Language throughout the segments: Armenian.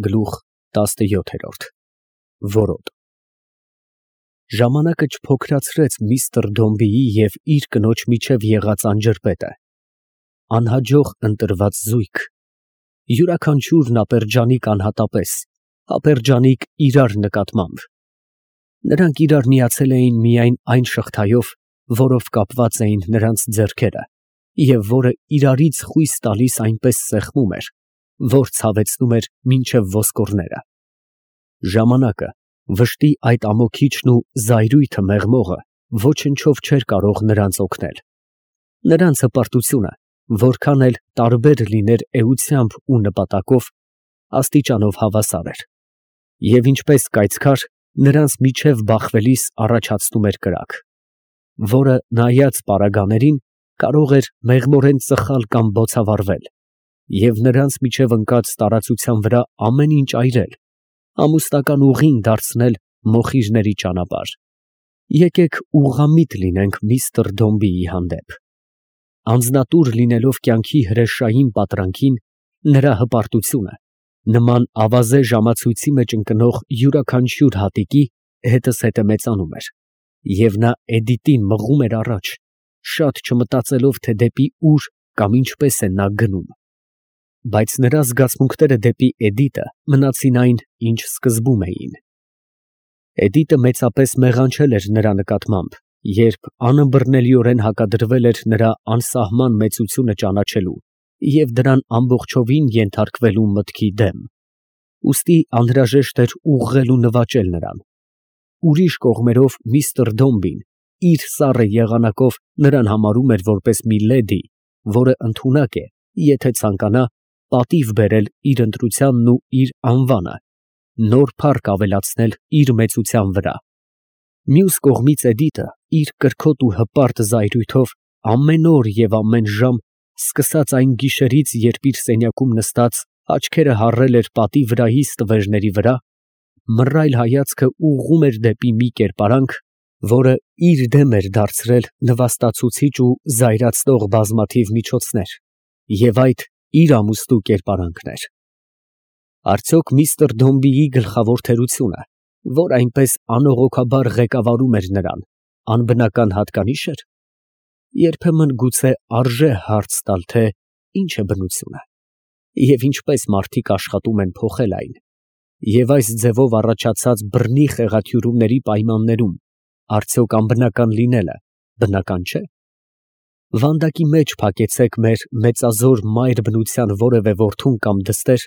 Գլուխ 17 Որոտ Ժամանակը չփոքրացրեց միստր Դոմբիի և իր կնոջ միջև եղած անջրպետը, անհաջող ընտրված զույգ, յուրաքանչյուրն ապերջանիկ անհատապես, ապերջանիկ իրար նկատմամբ. նրանք իրար միացել էին միայն այն շղթայով, որով կապված էին նրանց ձեռքերը և որը իրարից խույս տալիս այնպես սեղմում էր, որ ցավեցնում էր մինչև ոսկորները. ժամանակը, վշտի այդ ամոքիչն ու զայրույթը մեղմողը ոչնչով չէր կարող նրանց օգնել, նրանց հպարտությունը, որքան էլ տարբեր լիներ էությամբ ու նպատակով, աստիճանով հավասար էր, և ինչպես կայծքար, նրանց միջև բախվելիս առաջացնում էր կրակ, որը, նայած պարագաներին, կարող էր մեղմորեն ծխալ կամ բոցավառվել և նրանց միջև ընկած տարածության վրա ամեն ինչ այրել, ամուսնական ուղին դարձնել մոխիրների ճանապարհ. եկեք ուղղամիտ լինենք միստր Դոմբիի հանդեպ. անձնատուր լինելով կյանքի հրեշային պատրանքին, նրա հպարտությունը, նման ավազե ժամացույցի մեջ ընկնող յուրաքանչյուր հատիկի, հետզհետե մեծանում էր, և նա Էդիտին մղում էր առաջ, շատ չմտածելով, թե դեպի ուր կամ ինչպես է նա գնում, բայց նրա զգացմունքները դեպի Էդիտը մնացին այն, ինչ սկզբում էին. Էդիտը մեծապես մեղանչել էր նրա նկատմամբ, երբ անըմբռնելիորեն հակադրվել էր նրա անսահման մեծությունը ճանաչելու և դրան ամբողջովին ենթարկվելու մտքի դեմ, ուստի անհրաժեշտ էր ուղղել ու նվաճել նրան. ուրիշ կողմերով միստր Դոմբին իր սառը եղանակով նրան համարում էր որպես մի լեդի, որը ընդունակ է, եթե ցանկանա, պատիվ բերել իր ընտրությանն ու իր անվանը, նոր փառք ավելացնել իր մեծության վրա. մյուս կողմից Էդիտը իր կրքոտ ու հպարտ զայրույթով ամեն օր և ամեն ժամ, սկսած այն գիշերից, երբ իր սենյակում նստած աչքերը հառել էր պատի վրայի ստվերների վրա, մռայլ հայացքը ուղղում էր դեպի մի կերպարանք, որը իր դեմ էր դարձրել նվաստացուցիչ ու զայրացնող բազմաթիվ միջոցներ, և այդ իր ամուսնու կերպարանքն էր. արդյոք միստր Դոմբիի գլխավոր թերությունը, որ այնպես անողոքաբար ղեկավարում էր նրան, անբնական հատկանիշ էր, երբեմն գուցե արժե հարց տալ, թե ինչ է բնությունը, և ինչպես մարդիկ աշխատում են փոխել այն, և այս ձևով առաջացած բռնի խեղաթյուրումների պայմաններում արդյոք անբնական լինելը բնական չէ։ Վանդակի մեջ փակեցեք մեր մեծազոր մայր բնության որևէ որդուն կամ դստեր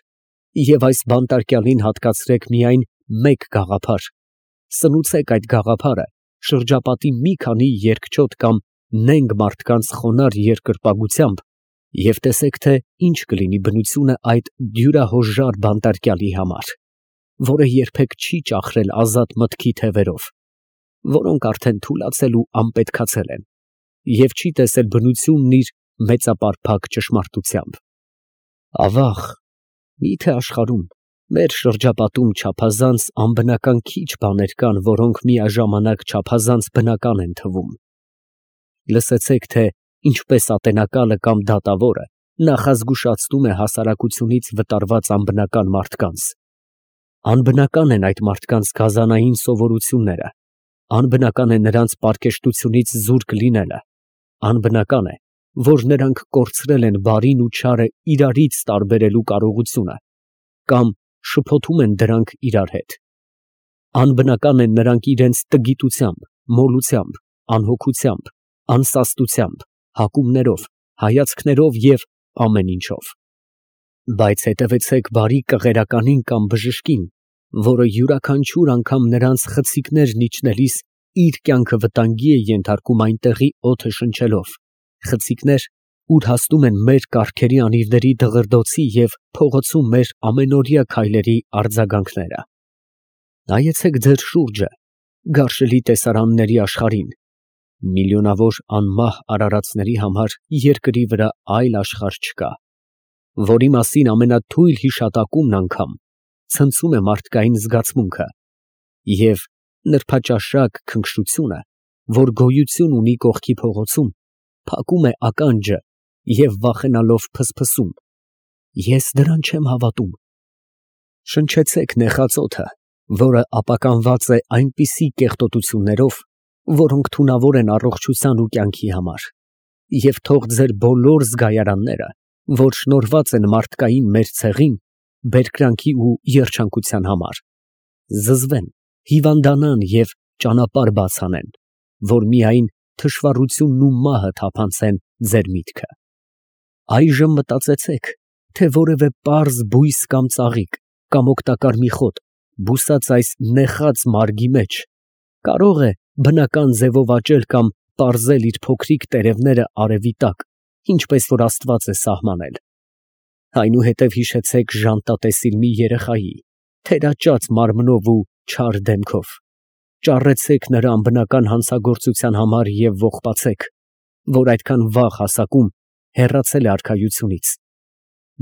և այս բանտարկյալին հատկացրեք միայն մեկ գաղափար, սնուցեք այդ գաղափարը շրջապատի մի քանի երկչոտ կամ նենգ մարդկանց խոնարհ երկրպագությամբ և տեսեք, թե ինչ կլինի բնությունը այդ դյուրահոժար բանտարկյալի համար, որը երբեք չի ճախրել ազատ մտքի թևերով, որոնք արդեն թուլացել ու անպետքացել են, և չի տեսել բնությունն իր մեծապարփակ ճշմարտությամբ։ Ավաղ, մի՞թե աշխարհում, մեր շրջապատում չափազանց անբնական քիչ բաներ կան, որոնք միաժամանակ չափազանց բնական են թվում։ Լսեցեք, թե ինչպես ատենակալը կամ դատավորը նախազգուշացնում է հասարակությունից վտարված անբնական մարդկանց. անբնական են այդ մարդկանց գազանային սովորությունները, անբնական է նրանց պարկեշտությունից զուրկ լինելը, անբնական է, որ նրանք կորցրել են բարին ու չարը իրարից տարբերելու կարողությունը կամ շփոթում են դրանք իրար հետ, անբնական են նրանք իրենց տգիտությամբ, մոլությամբ, անհոգությամբ, անսաստությամբ, հակումներով, հայացքներով և ամեն ինչով, բայց հետևեցեք բարի կղերականին կամ բժշկին, որը յուրաքանչյուր անգամ նրանց խցիկներն իջնելիս իր կյանքը վտանգի է ենթարկում այնտեղի օդը շնչելով, խցիկներ, ուր հասնում են մեր կառքերի անիվների դղրդոցի և փողոցում մեր ամենօրյա քայլերի արձագանքները։ Նայեցեք ձեր շուրջը, գարշելի տեսարանների աշխարհին, միլիոնավոր անմահ արարածների համար երկրի վրա այլ աշխարհ չկա, որի մասին ամենաթույլ հիշատակումն անգամ ցնցում է մարդկային զգացմունքը, և նրբաճաշակ քնքշությունը, որ գոյություն ունի կողքի փողոցում, փակում է ականջը և վախենալով փսփսում. ես դրան չեմ հավատում, Շնչեցեք նեխածոթը, որը ապականված է այնպիսի կեղտոտություններով, որոնք թունավոր են առողջության ու կյանքի համար, և թող ձեր բոլոր զգայարանները, որ շնորհված են մարդկային մեր ցեղին, բերկրանքի ու երջանկության համար, զզվեն, հիվանդանան և ճանապարհ բաց անեն, որ միայն թշվառությունն ու մահը թափանցեն ձեր միտքը։ Այժմ մտածեցեք, թե որևէ պարզ բույս կամ ծաղիկ, կամ օգտակար մի խոտ, բուսած այս նեխած մարգի մեջ, կարող է բնական ձևով աճել կամ պարզել իր փոքրիկ տերևները արևի տակ, ինչպես որ Աստված է սահմանել։ Այնուհետև հիշեցեք ժանտատեսիլ մի երեխայի, թերաճած մարմնով ու չար դեմքով, ճառեցեք նրա անբնական հանցագործության համար և ողբացեք, որ այդքան վաղ հասակում հեռացել է արքայությունից,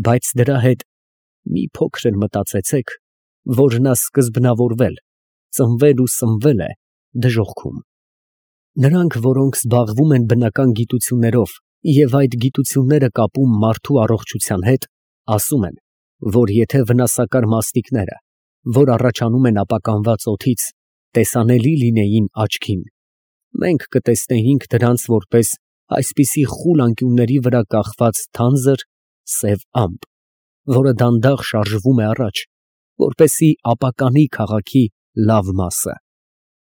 բայց դրա հետ մի փոքր էլ մտածեցեք, որ նա սկզբնավորվել, ծնվել ու սնվել է դժոխքում։ Նրանք, որոնք զբաղվում են բնական գիտություններով և այդ գիտությունները կապում մարդու առողջության հետ, ասում են, որ եթե վնասակար մասնիկները, որ առաջանում են ապականված օդից, տեսանելի լինեին աչքին, մենք կտեսնեինք դրանց որպես այսպիսի խուլ անկյունների վրա կախված թանձր սև ամպ, որը դանդաղ շարժվում է առաջ, որպեսզի ապականի քաղաքի լավ մասը։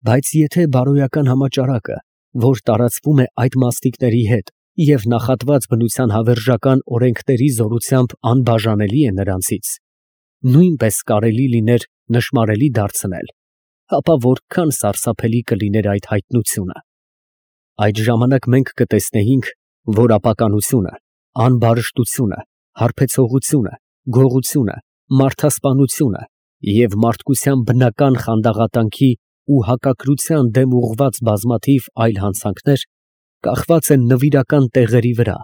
Բայց եթե բարոյական համաճարակը, որ տարածվում է այդ մասնիկների հետ և նախատված բնության հավերժական օրենքների զորությամբ անբաժանելի է նրանցից, նույնպես կարելի լիներ նշմարելի դարձնել, ապա որքան սարսափելի կլիներ այդ հայտնությունը։ Այդ ժամանակ մենք կտեսնեինք, որ ապականությունը, անբարշտությունը, հարբեցողությունը, գողությունը, մարդասպանությունը և մարդկության բնական խանդաղատանքի ու հակակրության դեմ ուղղված բազմաթիվ այլ հանցանքներ կախված են նվիրական տեղերի վրա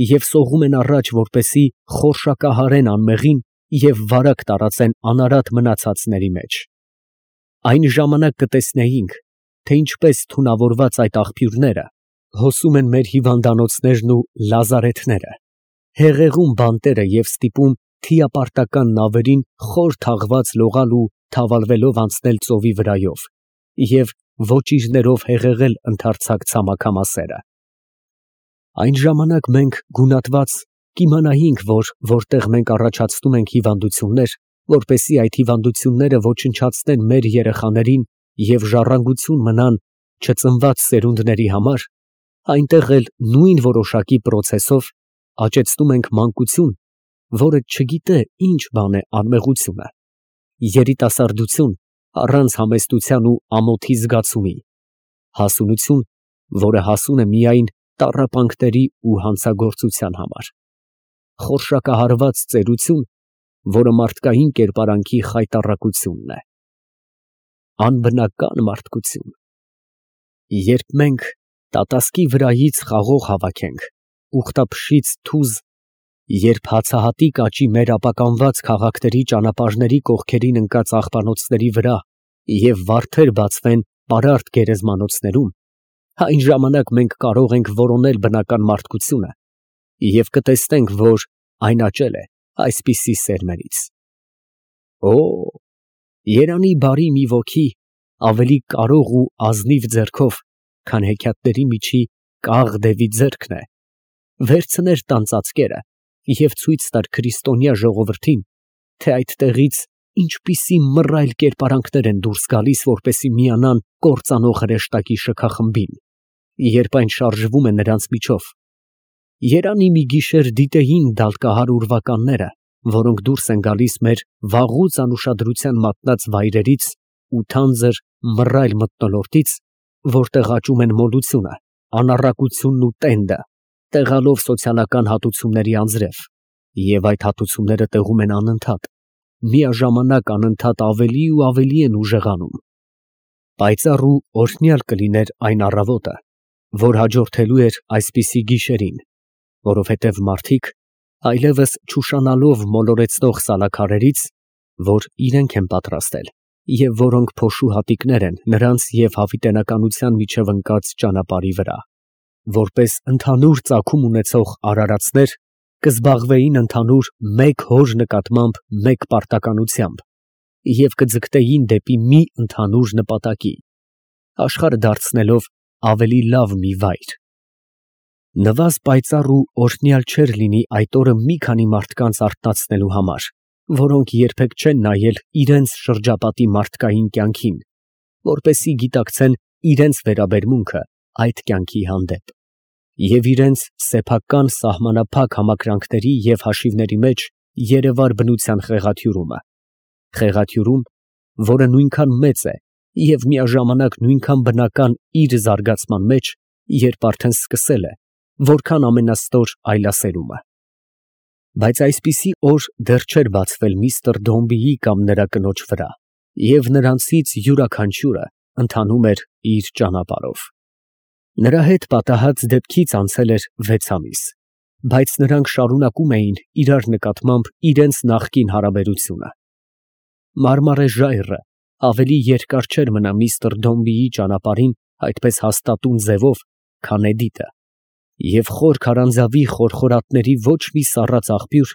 և սողում են առաջ, որպեսզի խորշակահարեն անմեղին և վարակ տարածեն անարատ մնացածների մեջ։ Այն ժամանակ կտեսնեինք, թե ինչպես թունավորված այդ աղբյուրները հոսում են մեր հիվանդանոցներն ու լազարեթները, հեղեղում բանտերը և ստիպում թիապարտական նավերին խոր թաղված լողալ ու թավալվելով անցնել ծովի վրայով և ոճիրներով հեղեղել ընդարձակ ցամաքամասերը։ Այն ժամանակ մենք գունատված կիմանայինք, որ որտեղ մենք առաջացնում ենք հիվանդություններ, որպեսզի այդ հիվանդությունները ոչնչացնեն մեր երեխաներին և ժառանգություն մնան չծնված սերունդների համար, այնտեղ էլ նույն որոշակի պրոցեսով աճեցնում ենք մանկություն, որը չգիտե ինչ բան է անմեղությունը, երիտասարդություն առանց համեստության ու ամոթի զգացումի, հասունություն, որը հասուն է միայն տառապանքների ու հանցագործության համար, խորշակահարված ծերություն, որը մարդկային կերպարանքի խայտառակությունն է, անբնական մարդկություն։ Երբ մենք տատասկի վրայից խաղող հավաքենք, ուխտափշից թուզ, երբ հացահատիկ աճի մեր ապականված քաղաքների ճանապարհների կողքերին ընկած աղբանոցների վրա և վարդեր բացվեն պարարտ գերեզմանոցներում, այն ժամանակ մենք կարող ենք որոնել բնական մարդկությունը և կտեսնենք, որ այն աճել է այսպիսի սերմերից։ Օ, երանի բարի մի ոգի ավելի կարող ու ազնիվ ձեռքով, քան հեքիաթների միջի կաղ դևի ձեռքն է, վերցներ տան ծածկերը և ցույց տար քրիստոնյա ժողովրդին, թե այդտեղից ինչպիսի մռայլ կերպարանքներ են դուրս գալիս, որպեսզի միանան կործանող հրեշտակի շքախմբին, երբ այն շարժվում է նրանց միջով։ Երանի մի գիշեր դիտեին դալկահար ուրվականները, որոնք դուրս են գալիս մեր վաղուց անուշադրության մատնած վայրերից ու թանձր մռայլ մթնոլորտից, որտեղ աճում են մոլությունը, անառակությունն ու տենդը, տեղալով սոցիալական հատուցումների անձրև, և այդ հատուցումները տեղում են անընդհատ, միաժամանակ անընդհատ ավելի ու ավելի են ուժեղանում։ Պայծառ ու օրհնյալ կլիներ այն առավոտը, որ հաջորդելու էր այսպիսի գիշերին, որովհետև մարդիկ, այլևս չուշանալով մոլորեցնող սալաքարերից, որ իրենք են պատրաստել և որոնք փոշու հատիկներ են նրանց և հավիտենականության միջև ընկած ճանապարհի վրա, որպես ընդհանուր ծագում ունեցող արարածներ, կզբաղվեին ընդհանուր մեկ հոր նկատմամբ մեկ պարտականությամբ, և կձգտեին դեպի մի ընդհանուր նպատակի, աշխարհը դարձնելով ավելի լավ մի վայր։ Նվազ պայծառ ու օրհնյալ չէր լինի այդ օրը մի քանի մարդկանց արթնացնելու համար, որոնք երբեք չեն նայել իրենց շրջապատի մարդկային կյանքին, որպեսզի գիտակցեն իրենց վերաբերմունքը այդ կյանքի հանդեպ, և իրենց սեփական սահմանափակ համակրանքների և հաշիվների մեջ երևար բնության խեղաթյուրում, որը նույնքան մեծ է և միաժամանակ նույնքան բնական իր զարգացման մեջ, երբ արդեն սկսել է, որքան ամենաստոր այլասերումը։ Բայց այսպիսի օր դեռ չէր բացվել միստր Դոմբիի կամ նրա կնոջ վրա, և նրանցից յուրաքանչյուրը ընթանում էր իր ճանապարհով։ Նրա հետ պատահած դեպքից անցել էր 6 ամիս, բայց նրանք շարունակում էին իրար նկատմամբ իրենց նախկին հարաբերությունը։ Մարմարե ժայռը ավելի երկար չէր մնա միստր Դոմբիի ճանապարհին այդպես հաստատուն ձևով, քան Էդիտը, և խոր քարանձավի խորխորատների ոչ մի սառած աղբյուր,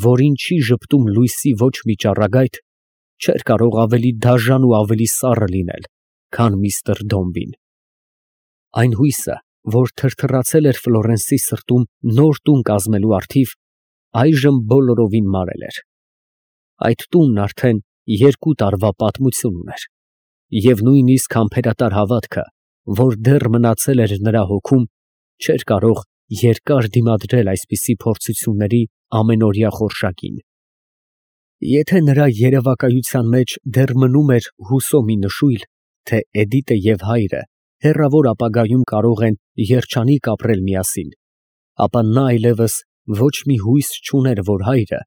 որին չի ժպտում լույսի ոչ մի ճառագայթ, չէր կարող ավելի դաժան ու ավելի սառը լինել, քան միստր Դոմբին։ Այն հույսը, որ թրթռացել էր Ֆլորենսի սրտում նոր տուն կազմելու առթիվ, այժմ բոլորովին մարել էր։ Այդ տունն արդեն 2 տարվա պատմություն ուներ, և նույնիսկ համբերատար հավատքը, որ դեռ մնացել էր նրա հոգում, չէր կարող երկար դիմադրել այսպիսի փորձությունների ամենօրյա խորշակին։ Եթե նրա երևակայության մեջ դեռ մնում էր հուսո մի նշույլ, թե Էդիտը և հայրը հեռավոր ապագայում կարող են երջանիկ ապրել միասին, ապա նա այլևս ոչ մի հույս չուներ, որ հայրը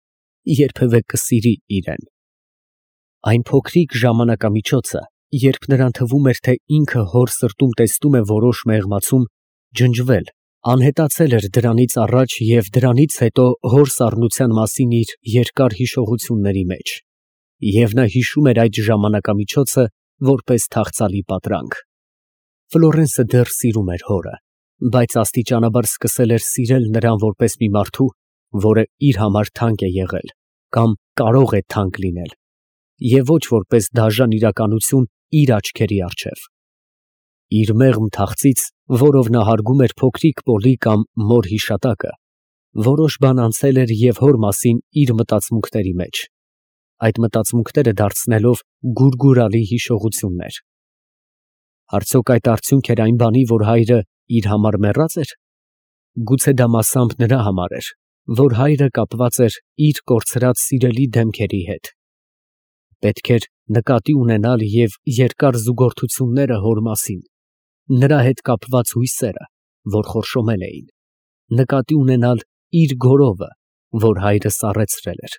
երբևէ կսիրի իրեն։ Այն փոքրիկ ժամանակամիջոցը, երբ նրան թվում էր, թե ինքը հոր սրտում տեսնում է որոշ մեղմացում, ջնջվել, անհետացել էր դրանից առաջ և դրանից հետո հոր սառնության մասին իր երկար հիշողությունների մեջ, և նա հիշում էր այդ ժամանակամիջոցը որպես թախծալի պատրանք։ Ֆլորենսը դեռ սիրում էր հորը, բայց աստիճանաբար սկսել էր սիրել նրան որպես մի մարդու, որը իր համար թանկ է եղել կամ կարող է թանկ լինել, և ոչ որպես դաժան իրականություն իր աչքերի առջև։ Իր մեղմ թախծից, որով նա հարգում էր փոքրիկ Պոլի կամ մոր հիշատակը, որոշ բան անցել էր և հոր մասին իր մտածմունքների մեջ, այդ մտածմունքները դարձնելով գուրգուրալի հիշողություններ։ Արդյոք այդ արդյունք էր այն բանի, որ հայրը իր համար մեռած էր։ Գուցե դա մասամբ նրա համար էր, որ հայրը կապված էր իր կորցրած սիրելի դեմքերի հետ։ Պետք էր նկատի ունենալ և երկար զուգորդությունները հոր մասին, նրա հետ կապված հույսերը, որ խորշոմել էին, նկատի ունենալ իր գորովը, որ հայրը սառեցրել էր։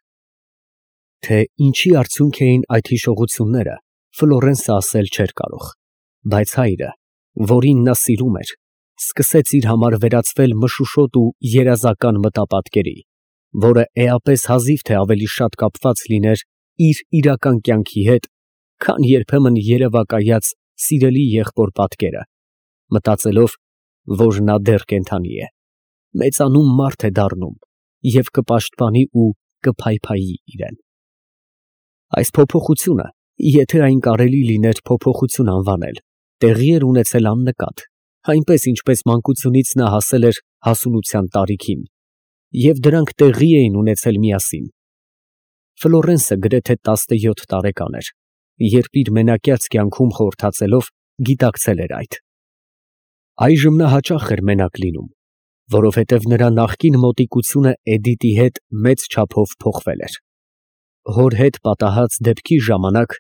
Թե ինչի արդյունք էին այդ հիշողությունները, Ֆլորենսը ասել չէր կարող, բայց հայրը, որին նա սիրում էր, սկսեց իր համար վերածվել մշուշոտ ու երազական մտապատկերի, որը էապես հազիվ թե ավելի շատ կապված լիներ իր իրական կյանքի հետ, քան երբեմն երևակայած սիրելի եղբոր պատկերը, մտածելով, որ նա դեռ կենդանի է, մեծանում մարդ է դառնում և կպաշտպանի ու կփայփայի իրեն։ Այս փոփոխությունը, եթե այն կարելի լիներ փոփոխություն անվանել, տեղի էր ունեցել աննկատ, այնպես ինչպես մանկությունից նա հասել էր հասունության տարիքին, և դրանք տեղի էին ունեցել միասին։ Ֆլորենսը գրեթե 17 տարեկան էր, երբ իր մենակյաց կյանքում խորհրդածելով գիտակցել էր այդ։ Այժմ նա հաճախ էր մենակ լինում, որովհետև նրա նախկին մոտիկությունը Էդիտի հետ մեծ չափով փոխվել էր։ Հոր հետ պատահած դեպքի ժամանակ,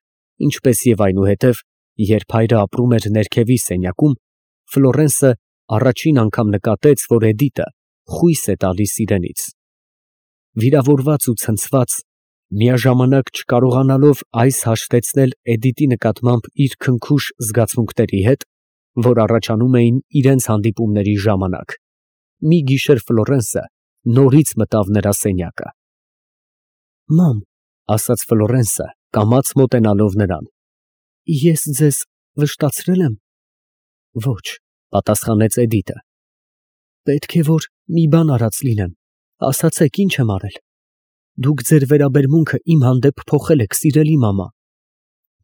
ինչպես և այնուհետև, երբ հայրը ապրում էր ներքևի սենյակում, Ֆլորենսը առաջին անգամ նկատեց, որ Էդիտը խույս է տալիս իրենից։ Վիրավորված ու ցնցված, միաժամանակ չկարողանալով այս հաշտեցնել Էդիտի նկատմամբ իր քնքուշ զգացմունքների հետ, որ առաջանում էին իրենց հանդիպումների ժամանակ, մի գիշեր Ֆլորենսը նորից մտավ նրա սենյակը։ «Մամ», ասաց Ֆլորենսը, կամաց մոտենալով նրան, «ես ձեզ վշտացրե՞լ եմ»։ «Ոչ», պատասխանեց Էդիտը։ «Պետք է որ մի բան արած լինեմ, ասացեք, ի՞նչ եմ արել։ Դուք ձեր վերաբերմունքը իմ հանդեպ փոխել եք, սիրելի մամա»։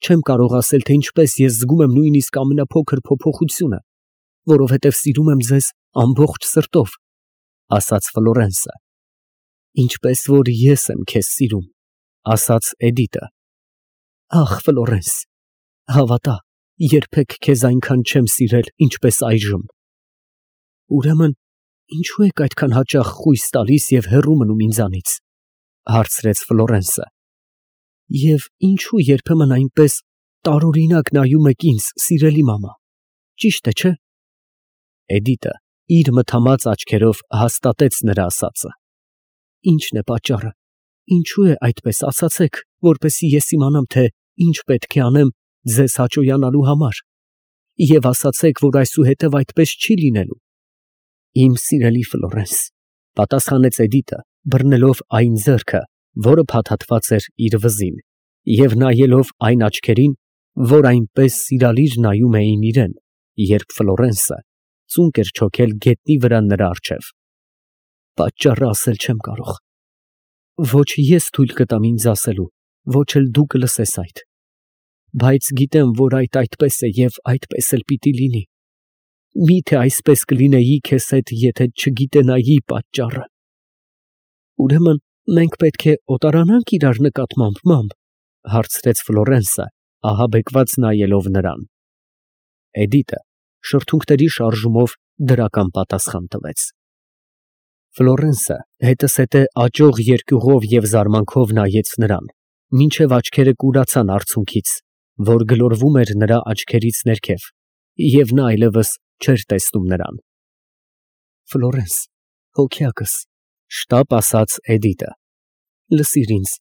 Չեմ կարող ասել, թե ինչպես ես զգում եմ նույնիսկ ամենափոքր փոփոխությունը, որովհետև սիրում եմ ձեզ ամբողջ սրտով, ասաց Ֆլորենսը։ Ինչպես որ ես եմ քեզ սիրում, ասաց Էդիտը։ Ախ, Ֆլորենս, հավատա, երբեք քեզ այնքան չեմ սիրել, ինչպես այժմ։ Ուրեմն, ինչու եք այդքան հաճախ խույս տալիս և հեռու մնում ինձանից, հարցրեց Ֆլորենսը։ Եվ ինչու երբեմն այնպես տարօրինակ նայում եք ինձ, սիրելի մամա, ճիշտ է, չէ՞։ Էդիտը իր մթամած աչքերով հաստատեց նրա ասածը։ Ի՞նչն է պատճառը, ինչու է այդպես, ասացեք, որպեսզի ես իմանամ, թե ինչ պետք է անեմ ձեզ հաճոյանալու համար, և ասացեք, որ այսուհետև այդպես չի լինելու։ Իմ սիրելի Ֆլորենս, պատասխանեց Էդիտը, բռնելով այն ձեռքը, որը փաթաթված էր իր վզին, և նայելով այն աչքերին, որ այնպես սիրալիր նայում էին իրեն, երբ Ֆլորենսը ծունկ էր չոքել գետնի վրա նրա առջև։ Պատճառը ասել չեմ կարող։ Ոչ ես թույլ կտամ ինձ ասելու, ոչ էլ դու կլսես այդ։ Բայց գիտեմ, որ այդպես է և այդպես էլ պիտի լինի։ Միթե այսպես կլինեի քեզ հետ, եթե չգիտենայի պատճառը։ Ուրեմն մենք պետք է օտարանանք իրար նկատմամբ, մամ, հարցրեց Ֆլորենսը, ահաբեկված նայելով նրան։ Էդիտը շրթունքների շարժումով դրական պատասխան տվեց։ Ֆլորենսը հետզհետե աճող երկյուղով և զարմանքով նայեց նրան, մինչև աչքերը կուրացան արցունքից, որ գլորվում էր նրա աչքերից ներքև, և նա այլևս չէր տեսնում նրան։ Ֆլորենս, հոգյակս, շտապ ասաց Էդիտը, լսիր ինձ,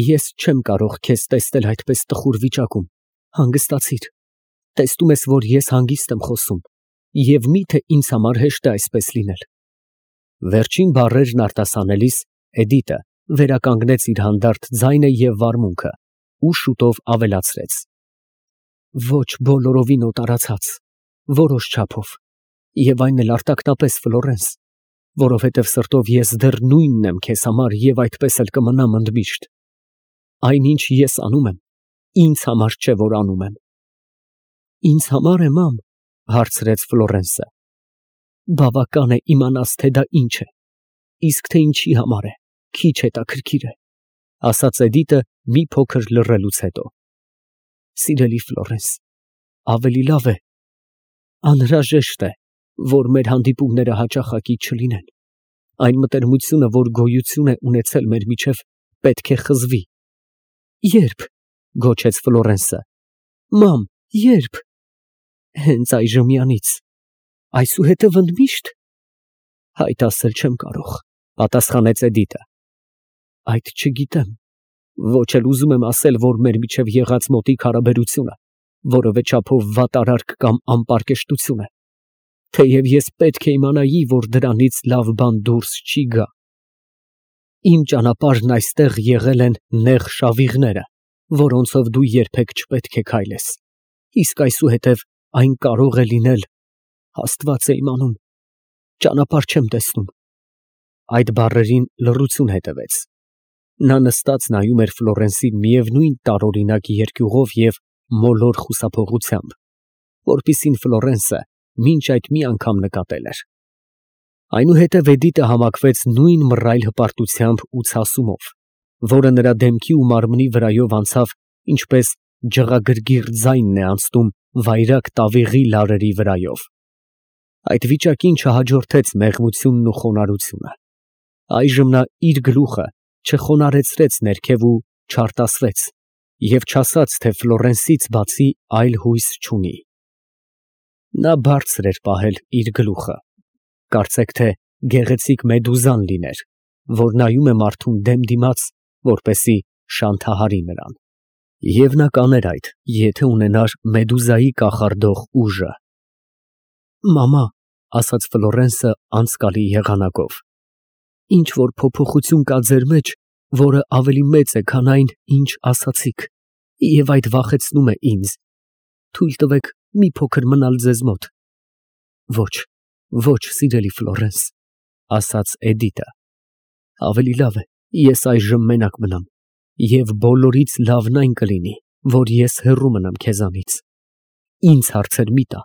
ես չեմ կարող քեզ տեսնել այդպես տխուր վիճակում, հանգստացիր, տեսնում ես, որ ես հանգիստ եմ խոսում, և միթե ինձ համար հեշտ է այսպես լինել։ Վերջին բառերն արտասանելիս Էդիտը վերականգնեց իր հանդարտ ձայնը և վարմունքը ու շուտով ավելացրեց. Ոչ բոլորովին օտարացած, որոշ չափով, և այն էլ արտակնապես, Ֆլորենս, որովհետև սրտով ես դեռ նույնն եմ քեզ համար և այդպես էլ կմնամ ընդմիշտ։ Այնինչ ես անում եմ, ինձ համար չէ, որ անում եմ։ Ինձ համար է, մամ, հարցրեց Ֆլորենսը։ Բավական է իմանաս, թե դա ինչ է, իսկ թե ինչի համար է, քիչ հետաքրքիր է, ասաց Էդիտը մի փոքր լռելուց հետո։ Սիրելի Ֆլորենս, ավելի լավ է, անհրաժեշտ է, որ մեր հանդիպումները հաճախակի չլինեն։ Այն մտերմությունը, որ գոյություն է ունեցել մեր միջև, պետք է խզվի։ Ե՞րբ, գոչեց Ֆլորենսը։ Մամ, ե՞րբ։ Հենց այժմյանից։ Այսուհետև ընդմիշտ։ Հայտ ասել չեմ կարող, պատասխանեց Էդիտը։ Այդ չգիտեմ, ոչ էլ ուզում եմ ասել, որ մեր միջև եղած մոտիկ հարաբերությունը որևէ չափով վատ արարք կամ անպարկեշտություն է, թեև ես պետք է իմանայի, որ դրանից լավ բան դուրս չի գա։ Իմ ճանապարհն այստեղ եղել են նեղ շավիղները, որոնցով դու երբեք չպետք է քայլես, իսկ այսուհետև այն կարող է լինել, Աստված է իմանում, ճանապարհ չեմ տեսնում։ Այդ բառերին լռություն հետևեց։ Նա նստած նայում էր Ֆլորենսին միևնույն տարօրինակ երկյուղով և մոլոր խուսափողությամբ, որպիսին Ֆլորենսը մինչ այդ մի անգամ նկատել էր։ Այնուհետև Էդիտը համակվեց նույն մռայլ հպարտությամբ ու ցասումով, որը նրա դեմքի ու մարմնի վրայով անցավ, ինչպես ջղագրգիռ ձայնն է անցնում վայրագ տավիղի լարերի վրայով։ Այդ վիճակին չհաջորդեց մեղմությունն ու խոնարհությունը։ Այժմ նա իր գլուխը չխոնարհեցրեց ներքև ու չարտասվեց և չասաց, թե Ֆլորենսից բացի այլ հույս չունի։ Նա բարձր էր պահել իր գլուխը, կարծեք թե գեղեցիկ մեդուզան լիներ, որ նայում է մարդուն դեմ դիմաց, որպեսզի շանթահարի նրան։ Եվ նա կաներ այդ, եթե ունենար մեդուզայի կախարդող ուժը։ Մամա, ասաց Ֆլորենսը անցկալի եղանակով, ինչ որ փոփոխություն կա ձեր մեջ, որը ավելի մեծ է, քան այն, ինչ ասացիք, և այդ վախեցնում է ինձ։ Թույլ տվեք մի փոքր մնալ ձեզ մոտ։ Ոչ, ոչ, սիրելի Ֆլորենս, ասաց Էդիտը։ Ավելի լավ է, ես այժմ մենակ մնամ, և բոլորից լավն այն կլինի, որ ես հեռու մնամ քեզանից։ Ինձ հարցեր մի տա,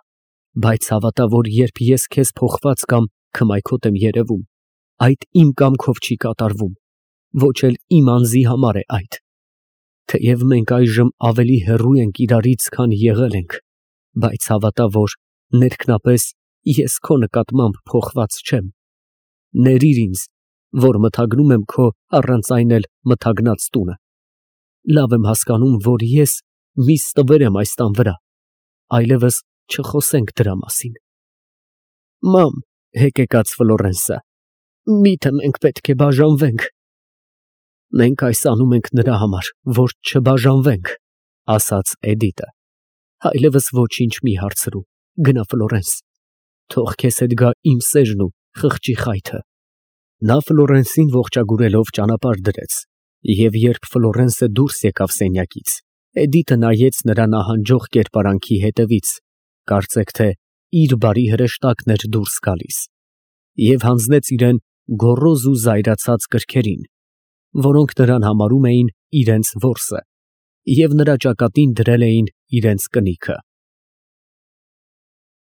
բայց հավատա, որ երբ ես քեզ փոխված կամ քմայքոտ եմ երևում, այդ իմ կամքով չի կատարվում, ոչ էլ իմ անձի համար է այդ։ Թեև մենք այժմ ավելի հեռու ենք իրարից, քան եղել ենք, բայց հավատա, որ ներքնապես ես քո նկատմամբ փոխված չեմ։ Ներիր ինձ, որ մթագնում եմ քո առանց այն էլ մթագնած տունը։ Լավ եմ հասկանում, որ ես մի ստվեր եմ այս տան վրա, այլևս չխոսենք դրա մասին։ Մամ, հեկեկաց Ֆլորենսը, միթե մենք պետք է բաժանվենք։ Մենք այս անում ենք նրա համար, որ չբաժանվենք, ասաց Էդիտը։ Այլևս ոչինչ մի հարցրու, գնա Ֆլորենս, թող քեզ հետ գա իմ սերն ու խղճի խայթը։ Նա Ֆլորենսին ողջագուրելով ճանապարհ դրեց, և երբ Ֆլորենսը դուրս եկավ սենյակից, Էդիտը նայեց նրա նահանջող կերպարանքի հետևից, կարծեք թե իր բարի հրեշտակն էր դուրս գալիս, և հանձնեց իրան գոռոզ ու զայրացած կրքերին, որոնք նրան համարում էին իրենց որսը, և նրա ճակատին դրել էին իրենց կնիքը։